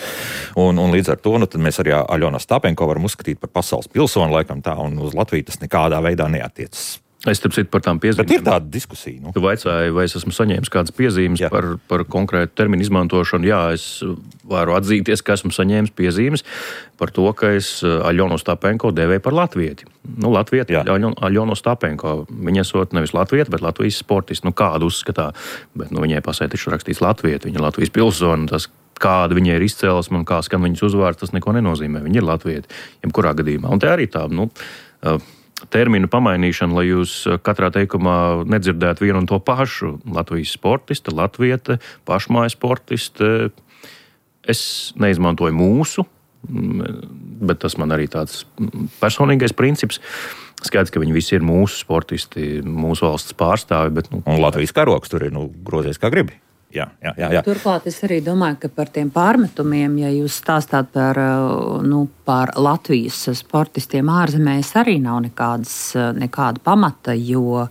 Un līdz ar to, tad mēs arī Aļonu Ostapenko varam uzskatīt par pasaules pilsoni, laikam tā, un uz Latviju tas nekādā veidā neatiecas. Es starp citu par tām piezīmēm. Bet ir tāda diskusija. Tu vaicāji, vai es esmu saņēmis kādas piezīmes par konkrētu terminu izmantošanu. Jā, es varu atzīties, ka esmu saņēmis piezīmes par to, ka es Aļonu Ostapenko devēju par latvieti. Latvieti, Aļonu Ostapenko. Viņa esot nevis latvieti, bet Latvijas sportists. Kādu uzskatā, bet viņai pasē taču rakstīts latvieti, viņa Latvijas pilsoni, tas kāda viņai ir izcēlesme un kā skan viņas uzvārds, tas neko nenozīmē. Viņa ir latvieti, jebkurā gadījumā. Un te arī tā, terminu pamainīšana, lai jūs katrā teikumā nedzirdētu vienu un to pašu. Latvijas sportiste, latviete, pašmāja sportiste. Es neizmantoju mūsu, bet tas man arī tāds personīgais princips. Skaidrs, ka viņi visi ir mūsu sportisti, mūsu valsts pārstāvi. Bet, un Latvijas karoks tur ir grozies kā gribi. Jā. Turklāt es arī domāju, ka par tiem pārmetumiem, ja jūs stāstāt par Latvijas sportistiem ārzemēs, arī nav nekāda pamata, jo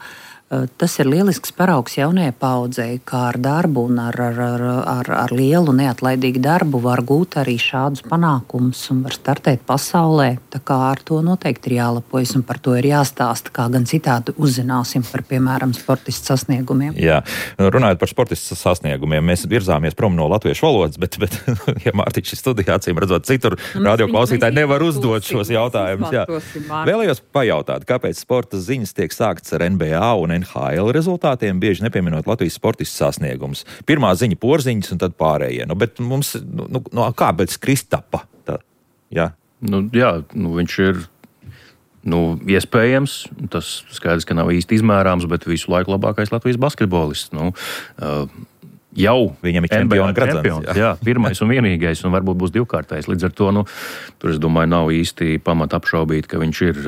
tas ir lielisks paraugs jaunajai paudzei, kā ar darbu un ar lielu neatlaidīgu darbu var gūt arī šādus panākumus un var startēt pasaulē. Tā kā ar to noteikti ir jālepojas un par to ir jāstāsta, kā gan citādi uzzināsim par, piemēram, sportistu sasniegumiem. Jā, runājot par sportistu sasniegumiem, mēs virzāmies prom no latviešu valodas, bet ja Mārtiņš studijā, acīm redzot, citur radioklausītāji nevar uzdot šos jautājumus. Vēlējos pajautāt, kāpēc sporta ziņas tiek sāktas ar NBA un NHL rezultātiem, bieži nepieminot Latvijas sportistu sasniegumus. Pirmā ziņa Porziņš un tad pārējie. Bet mums, kāpēc Kristapa? Viņš ir iespējams, tas skaidrs, ka nav īsti izmērāms, bet visu laiku labākais Latvijas basketbolists. Jau viņam ir čempions. Jā, pirmais un vienīgais, un varbūt būs divkārtais. Līdz ar to, tur es domāju, nav īsti pamata apšaubīt, ka viņš ir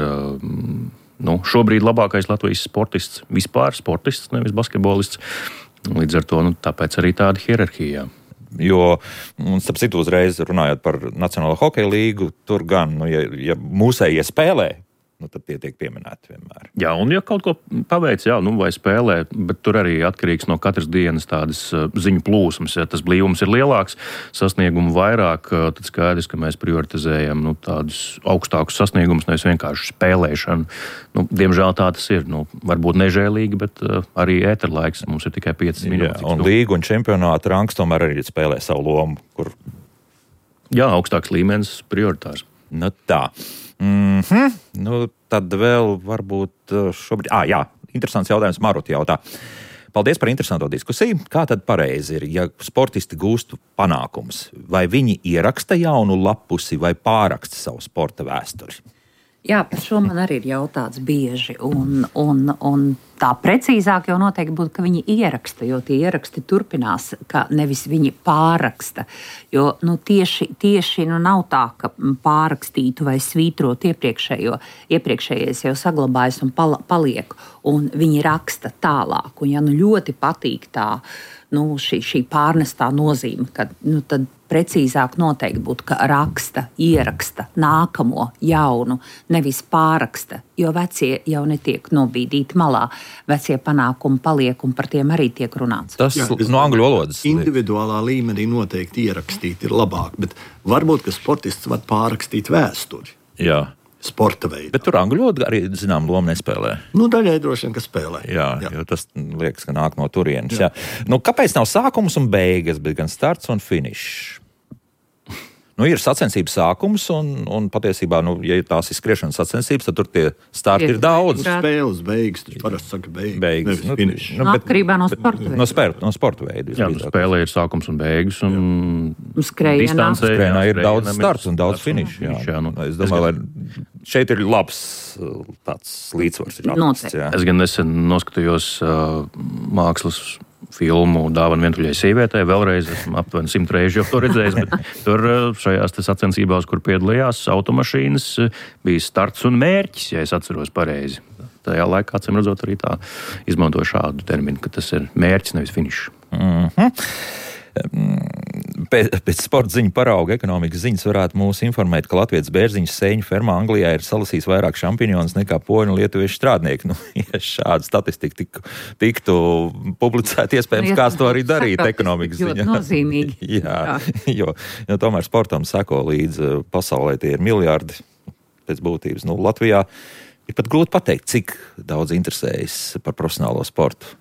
šobrīd labākais Latvijas sportists, vispār sportists, nevis basketbolists. Līdz ar to, tāpēc arī tāda hierarhija. Jo, starp citu uzreiz runājot par Nacionālo hokeja līgu, tur gan, ja mūsējie spēlē, tad tie tiek pieminēti vienmēr. Jā, un ja kaut ko paveic, vai spēlē, bet tur arī atkarīgs no katras dienas tādas ziņu plūsmas. Ja tas blīvums ir lielāks, sasniegumu vairāk, tad skaidrs, ka mēs prioritizējam tādus augstākus sasniegumus, nevis vienkārši spēlēšanu. Diemžēl tā tas ir. Varbūt nežēlīgi, bet arī ēterlaiks mums ir tikai 5 minūtes. Jā, un līgu un čempionāta rangs tomēr arī spēlē savu lomu, kur... Jā, augstāks līmenis prioritārs. Tā. Tad vēl varbūt šobrīd... interesants jautājums Maruti jautā. Paldies par interesanto diskusiju. Kā tad pareizi ir, ja sportisti gūst panākumus? Vai viņi ieraksta jaunu lapusi vai pāraksta savu sporta vēsturi? Jā, par šo man arī ir jautāts bieži. Un tā precīzāk jau noteikti būtu, ka viņi ieraksta, jo tie ieraksti turpinās, ka nevis viņi pāraksta. Jo tieši nav tā, ka pārakstītu vai svītrot iepriekšējais jau saglabājas un paliek, un viņi raksta tālāk. Un ja ļoti patīk tā, šī pārnestā nozīme, ka tad precīzāk noteikti būtu, ka raksta, ieraksta nākamo jaunu, nevis pāraksta, jo vecie jau netiek nobīdīti malā. vecie panākumi paliek un par tiem arī tiek runāts. Tas no angļu valodas. Individuālā līmenī noteikti ierakstīt ir labāk, bet varbūt, ka sportists var pārrakstīt vēsturi. Jā. Sporta veidā. Bet tur angļu valoda arī, zinām, loma nespēlē. Daļai droši vien, ka spēlē. Jā, jo tas liekas, ka nāk no turienes. Jā. Kāpēc nav sākums un beigas, bet gan starts un finišs? Ir sacensības sākums, un patiesībā, ja tās ir skriešanas sacensības, tad tur tie starti ir daudz. Spēles beigas, tas parasti saka beigas. Atkarībā no sporta veida. No sporta veida. Jā, spēlē ir sākums un beigas, un skrējienā ir daudz starts un daudz finišu. Es domāju, ka šeit ir labs tāds līdzsvars. Es gan nesen noskatījos mākslas filmu Dāvana vientuļai sievietei. Vēlreiz esmu aptuveni 100 reizi jau to redzējis, bet tur šajās sacensībās, kur piedalījās automašīnas, bija starts un mērķis, ja es atceros pareizi. Tajā laikā, acīm redzot, arī tā izmantoja šādu terminu, ka tas ir mērķis, nevis finišs. Pēc sporta ziņu parauga ekonomikas ziņas varētu mūs informēt, ka Latvijas bērziņas sēņu fermā Anglijā ir salasījis vairāk šampinjonus nekā poļu un lietuviešu strādnieki. Ja šāda statistika tiktu publicēta, iespējams, kāds to arī darīt ekonomikas ziņā. Ļoti nozīmīgi. Jā, jo tomēr sportam seko līdz pasaulē tie ir miljardi pēc būtības. Latvijā ir pat grūti pateikt, cik daudz interesējas par profesionālo sportu.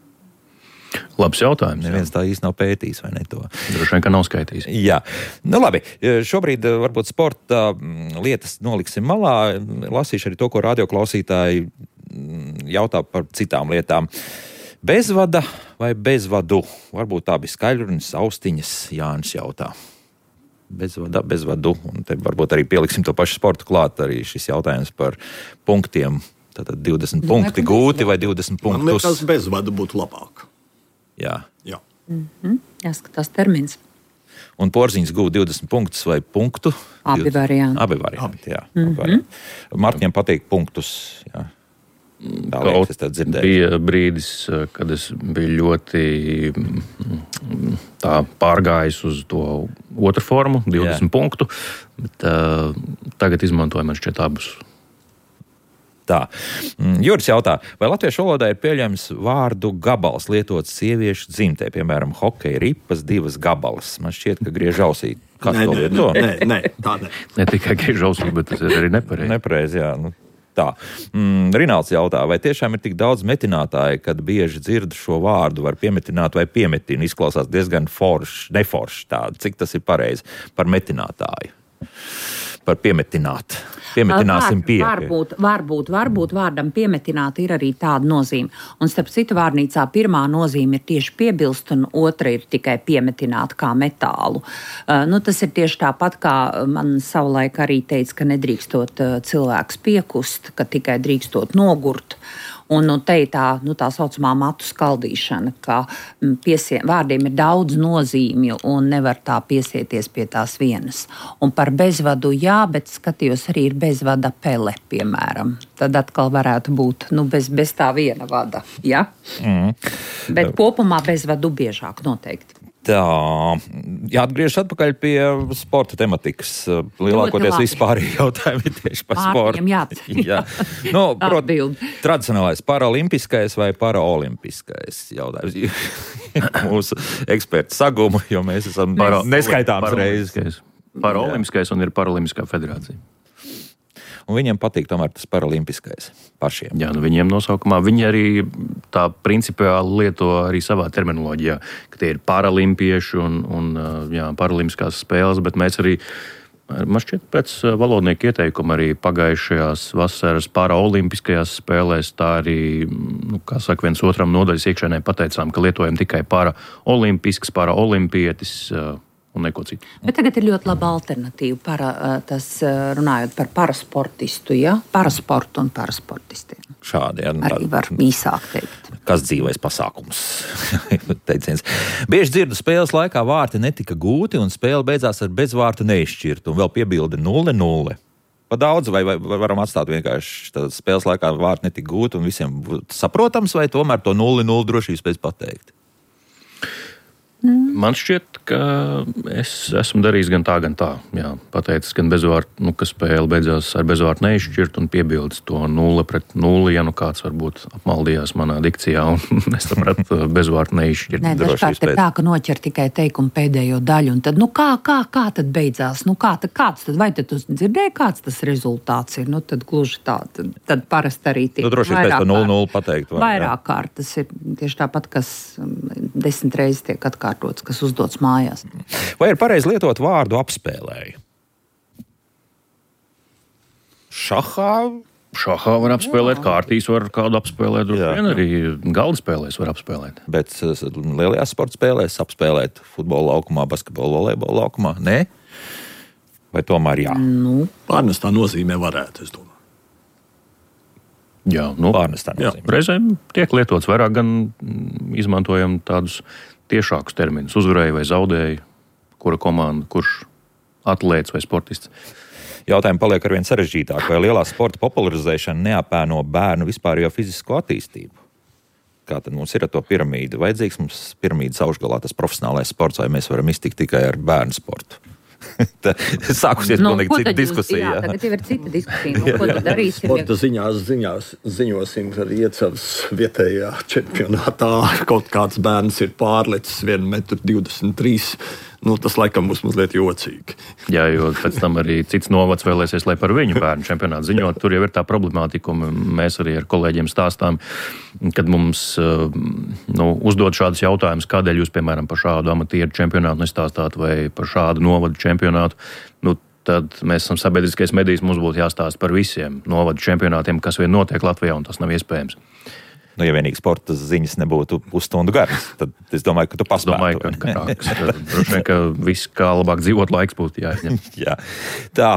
Labs jautājums. Neviens tā īsti nav pētījis, vai ne to? Droši vien, ka nav skaitījis. Jā. Labi. Šobrīd varbūt sporta lietas noliksim malā. Lasīšu arī to, ko radioklausītāji jautā par citām lietām. Bezvada vai bezvadu? Varbūt tā bija skaļrunis, austiņas, Jānis jautā. Bezvadu. Un te varbūt arī pieliksim to pašu sportu klāt, arī šis jautājums par punktiem. Tātad 20 punkti gūti vai 20 punktus. Man liekas, bezvadu būtu labāk. Jā. Jāskatās termins. Un Porziņš gūda 20 punktus vai punktu? Abi varianti. Abi varianti, jā. Martņiem patīk punktus, jā. Tā liekas, es tā dzirdēju. Bija brīdis, kad es biju ļoti tā pārgājis uz to otru formu, 20 punktu, bet tagad izmantoju man šķiet abus. Tā. Juris jautā, vai latviešu valodā ir pieļams vārdu gabals lietots sieviešu dzimtē, piemēram, hokeja ripas, 2 gabalas? Man šķiet, ka griež ausī. Kas to lieto? Nē, tā ne. Ne tikai griež ausī, bet tas ir arī nepareizi. Nepareizi, jā. Tā. Rināls jautā, vai tiešām ir tik daudz metinātāji, kad bieži dzird šo vārdu, var piemetināt vai piemetina? Izklausās diezgan neforši tā. Cik tas ir pareizi par metinātāju? Par piemetināt. Piemetināsim pie. Varbūt vārdam piemetināt ir arī tāda nozīme. Un starp citu vārnīcā pirmā nozīme ir tieši piebilst, un otra ir tikai piemetināt kā metālu. Tas ir tieši tāpat, kā man savulaik arī teica, ka nedrīkstot cilvēks piekust, ka tikai drīkstot nogurt. Un te ir tā saucamā matu skaldīšana, ka vārdiem ir daudz nozīmju un nevar tā piesieties pie tās vienas. Un par bezvadu jā, bet skatījos arī ir bezvada pele, piemēram. Tad atkal varētu būt bez tā viena vada. Ja? Bet kopumā bezvadu biežāk noteikti. Tā, jāatgriežas atpakaļ pie sporta tematikas. Lielākoties vispārīgi jautājumi ir tieši par sportu. Jā. Tradicionālais paralimpiskais vai paraolimpiskais jautājums. Mūsu eksperti saguma, jo mēs esam neskaitāms reizes. Paraolimpiskais un ir Paralimpiskā federācija. Un viņiem patīk tomēr tas paralimpiskais pašiem. Jā, viņiem nosaukumā. Viņi arī tā principiāli lieto arī savā terminoloģijā, ka tie ir paralimpieši un paralimpiskās spēles, bet mēs arī, man šķiet, pēc valodnieku ieteikuma arī pagājušajās vasaras paraolimpiskajās spēlēs tā arī, kā saka, viens otram nodaļas iekšēnē pateicām, ka lietojam tikai paraolimpisks, paraolimpietis, un neko citu. Bet tagad ir ļoti laba alternatīva runājot par parasportistu, parasportu un parasportistiem. Šādi, jā. Arī var īsāk teikt. Kas dzīvais pasākums? Teiciens. Bieži dzirdu spēles laikā vārti netika gūti un spēle beidzās ar bezvārtu neizšķirtu un vēl piebildi 0-0. Pa daudz vai varam atstāt vienkārši spēles laikā vārti netika gūti un visiem saprotams vai tomēr to 0-0 drošības pēc pateikt? Man šķiet, ka es esmu darījis gan tā. Jā, pateicis, gan bezvārdu, ka spēle beidzās ar bezvārdu neizšķirt un piebildis to 0-0, ja kāds varbūt apmaldījās manā dikcijā un nesapratu bezvārdu neizšķirt. Nē, dažkārt ir tā, ka noķer tikai teikumu pēdējo daļu, un tad, kā tad beidzās? Kāds tad, vai tad tu dzirdēji, kāds tas rezultāts ir? Tad gluži tā, tad parasti arī tiek droši vien pēc to 0-0 pateikt. Vairāk kārt, tas ir tieši tāpat, kas 10 reizes tiek atkārtots, kas uzdots mājās. Vai ir pareizi lietot vārdu apspēlēju? Šahā var apspēlēt, kārtīs var kādu apspēlēt, vien arī galda spēlēs var apspēlēt. Bet lielajās sporta spēlēs apspēlēt futbola laukumā, basketbola, volejbola laukumā? Nē? Vai tomēr jā? Pārnestā nozīmē varētu, es domāju. Jā, pārnestā nozīmē. Reizēm tiek lietots vairāk, gan izmantojam tādus tiešākus terminus. Uzvarēja vai zaudēja, kura komanda, kurš atlēts vai sportists. Jautājumi paliek arvien sarežģītāk. Vai lielā sporta popularizēšana neapēno bērnu vispārējo fizisko attīstību? Kā tad mums ir ar to piramīdu? Vajadzīgs mums piramīdas augšgalā tas profesionālais sports, vai mēs varam iztikt tikai ar bērnu sportu? Sākusies pilnīgi cita diskusija. Jā, tagad jau ir cita diskusija. Ko tad darīsim? Sporta ziņosim, ka Riecavas vietējā čempionātā kaut kāds bērns ir pārlecis 1,23 m. Tas laikam būs mazliet jocīgi. Jā, jo pēc tam arī cits novads vēlēsies, lai par viņu bērnu čempionātu ziņot. Tur jau ir tā problemātika, un mēs arī ar kolēģiem stāstām, kad mums uzdod šādus jautājumus, kādēļ jūs, piemēram, par šādu amatieru čempionātu nestāstāt vai par šādu novadu čempionātu. Tad mēs esam sabiedriskais medijs, mums būtu jāstāsta par visiem novadu čempionātiem, kas vien notiek Latvijā, un tas nav iespējams. Ja vienīgi sporta ziņas nebūtu pusstundu garas, tad es domāju, ka tu paspētu. Droši vien, ka viss kā labāk dzīvot laiks būtu jāizņem. Jā. Tā,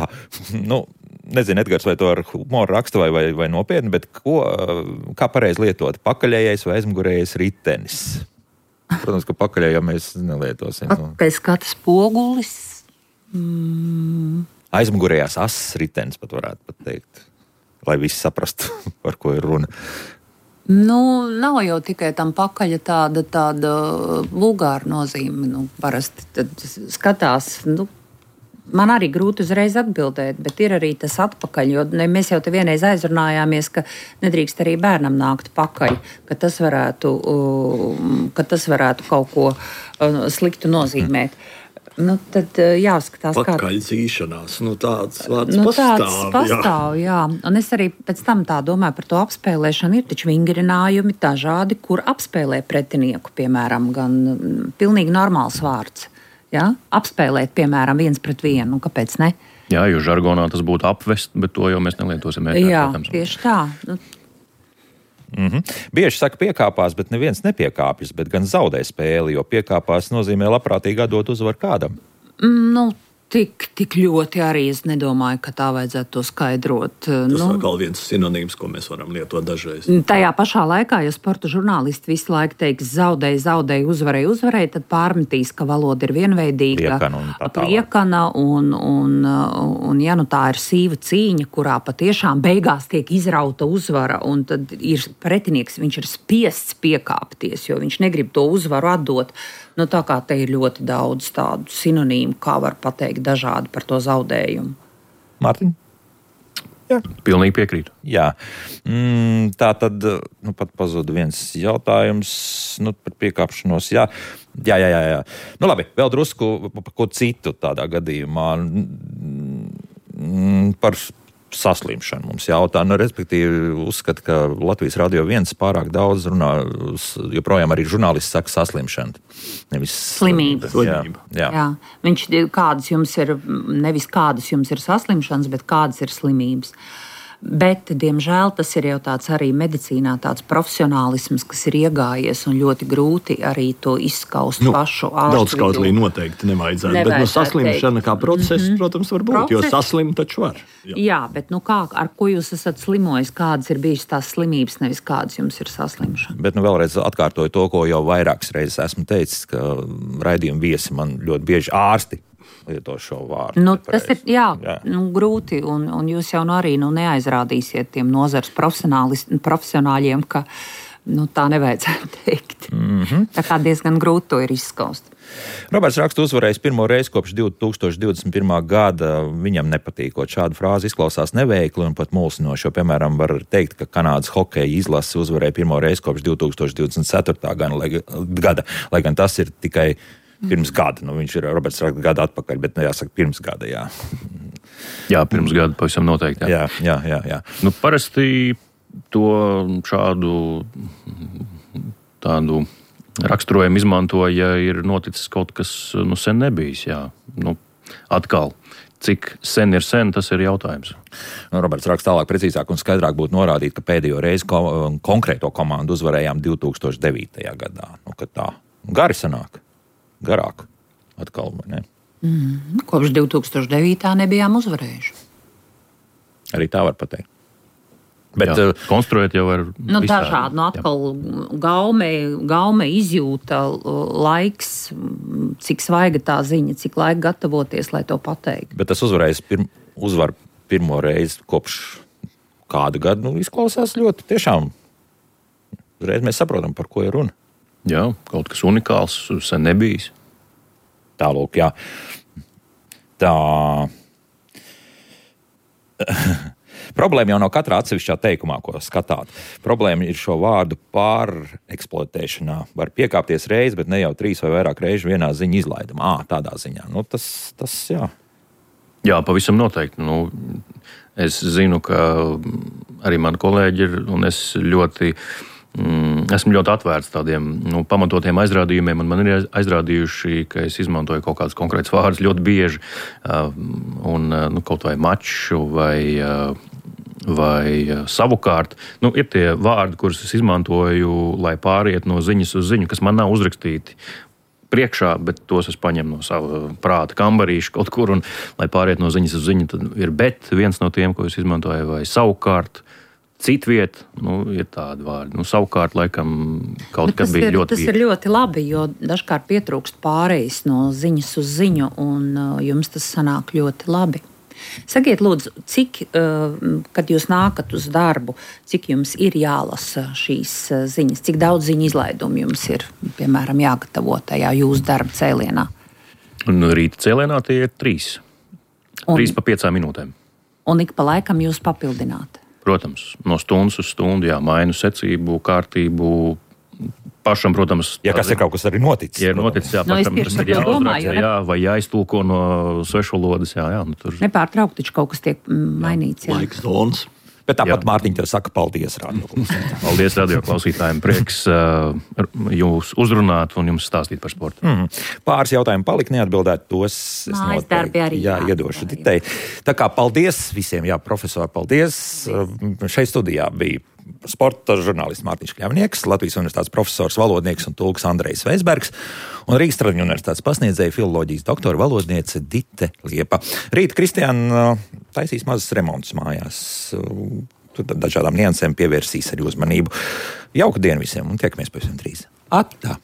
nezinu, Edgars, vai to ar humoru raksta vai nopietni, bet kā pareizi lietot? Pakaļējais vai aizmugurējais ritenis? Protams, ka pakaļējā mēs nelietosim. Pēc katras pogulis. Aizmugurējās asas ritenis pat varētu teikt, lai visi saprastu, par ko ir runa. Nav jau tikai tam pakaļa tāda vulgāra nozīme. Parasti tad skatās, man arī grūti uzreiz atbildēt, bet ir arī tas atpakaļ, jo mēs jau te vienreiz aizrunājāmies, ka nedrīkst arī bērnam nākt pakaļ, ka tas varētu kaut ko sliktu nozīmēt. Tad jāskatās, kā pakaļdzīšanās, tāds vārds pastāv, jā. Un es arī pēc tam tā domāju par to apspēlēšanu. Ir taču vingrinājumi dažādi, kur apspēlē pretinieku, piemēram, gan pilnīgi normāls vārds. Ja? Apspēlēt, piemēram, 1-1, kāpēc ne? Jā, jo žargonā tas būtu apvest, bet to jau mēs nelietosim. Jā, tieši tā. Bieži saka piekāpās, bet neviens nepiekāpjas, bet gan zaudē spēli, jo piekāpās nozīmē labprātīgi atdot uzvaru kādam. Tik ļoti arī es nedomāju, ka tā vajadzētu to skaidrot. Tas vēl viens sinonīms, ko mēs varam lietot dažreiz. Tajā pašā laikā, ja sporta žurnālisti visu laiku teiks zaudēja, uzvarēja, tad pārmetīs, ka valoda ir vienveidīga, pliekana un ja tā ir sīva cīņa, kurā patiešām beigās tiek izrauta uzvara, un tad ir pretinieks, viņš ir spiests piekāpties, jo viņš negrib to uzvaru atdot. Tā kā te ir ļoti daudz tādu sinonīmu, kā var pateikt dažādi par to zaudējumu. Mārtiņ? Jā. Pilnīgi piekrītu. Jā. Tā tad pat pazuda viens jautājums par piekāpšanos. Jā. Labi, vēl drusku par ko citu tādā gadījumā. Par saslimšanu mums jautā. Respektīvi, uzskata, ka Latvijas Radio 1 pārāk daudz runā, joprojām arī žurnālisti saka saslimšana. Nevis slimība. Jā. Viņš nevis kādas jums ir saslimšanas, bet kādas ir slimības. Bet, diemžēl, tas ir jau tāds arī medicīnā tāds profesionālisms, kas ir iegājies un ļoti grūti arī to izskaust pašu ārstu. Daudz skautlī noteikti nevajadzētu. Bet saslimšana kā process, protams, var būt, jo saslimt taču var. Jā, bet ar ko jūs esat slimojis, kādas ir bijušas tās slimības, nevis kādas jums ir saslimšana. Bet vēlreiz atkārtoju to, ko jau vairākas reizes esmu teicis, ka raidījuma viesi man ļoti bieži ārsti lieto šo vārdu. Tas ir grūti, un jūs jau arī neaizrādīsiet tiem nozares profesionāļiem, ka tā nevajadzētu teikt. Tā kā diezgan grūti to ir izskaust. Roberts raksta, uzvarējis pirmo reizi kopš 2021. gada. Viņam nepatīkot šādu frāzi izklausās neveikli un pat mulsinoši, jo, piemēram, var teikt, ka Kanādas hokeja izlase uzvarēja pirmo reizi kopš 2024. gada, lai gan tas ir tikai pirms gada. Viņš ir Roberts raksta gadu atpakaļ, bet jāsaka pirms gada, jā. Jā, pirms gada pavisam noteikti. Jā. Parasti to šādu tādu raksturojumu izmanto, ja ir noticis kaut kas sen nebijis. Jā. Atkal, cik sen ir sen, tas ir jautājums. Roberts raksta tālāk, precīzāk un skaidrāk būtu norādīt, ka pēdējo reizi konkrēto komandu uzvarējām 2009. gadā. Kad tā gari sanāk, garāk atkal, vai ne? Kopš 2009. nebijām uzvarējuši. Arī tā var pateikt. Bet konstruēt jau var dažādi. Atkal gaume izjūta, laiks, cik svaiga tā ziņa, cik laika gatavoties, lai to pateiktu. Bet tas uzvar pirmo reizi kopš kādu gadu, izklausās ļoti tiešām. Reiz mēs saprotam, par ko ir runa. Jā, kaut kas unikāls, sen nebijis. Tālūk, jā. Tā. Problēma jau nav katrā atsevišķā teikumā, ko skatāt. Problēma ir šo vārdu pāreksploatēšanā. Var piekāpties reizi, bet ne jau 3 vai vairāk reižu vienā ziņa izlaidumā. Tādā ziņā. Tas jā. Jā, pavisam noteikti. Es zinu, ka arī mani kolēģi ir, un es esmu ļoti atvērts tādiem pamatotiem aizrādījumiem, un man ir aizrādījuši, ka es izmantoju kaut kādus konkrētus vārdus ļoti bieži, kaut vai maču vai savukārt. Ir tie vārdi, kurus es izmantoju, lai pāriet no ziņas uz ziņu, kas man nav uzrakstīti priekšā, bet tos es paņemu no sava prāta kambarīša kaut kur, un lai pāriet no ziņas uz ziņu, tad ir bet viens no tiem, ko es izmantoju, vai savukārt. Citviet, ir tādi vārdi. Savukārt, laikam, kaut kas bija ļoti bieži. Tas ir ļoti labi, jo dažkārt pietrūkst pārejas no ziņas uz ziņu, un jums tas sanāk ļoti labi. Sakiet, lūdzu, cik, kad jūs nākat uz darbu, cik jums ir jālasa šīs ziņas, cik daudz ziņu izlaidumu jums ir, piemēram, jāgatavo tajā jūsu darba cēlienā? Rīta cēlienā tie ir 3. 3 pa 5 minūtēm. Un ik pa laikam jūs papildināt? Protams, no stundas uz stundu, mainu secību, kārtību. Pašam, protams, ja kas ir kaut kas arī noticis. Ja ir noticis, pašam tas ir jāuzraksta, vai jāiztulko no svešvalodas. Tur nepārtraukti taču kaut kas tiek mainīts. Laiks zonas. Bet tāpat Mārtiņa tev saka paldies radioklausītājiem. Paldies radioklausītājiem. Prieks jūs uzrunāt un jums stāstīt par sportu. Pāris jautājumu palika neatbildēt, tos es noteikti iedošu Ditei. Tā kā paldies visiem, profesori, paldies. Šeit studijā bija sporta žurnālists Mārtiņš Kļavnieks, Latvijas universitātes profesors, valodnieks un tulks Andrejs Veisbergs un Rīgas Tradiņu universitātes pasniedzēja filoloģijas doktora valodniece Dite Liepa. Rīt Kristiāna taisīs mazas remontus mājās. Tur dažādām niansēm pievērsīs arī uzmanību. Jauku dienu visiem un tiekamies pavisam drīz. Atā!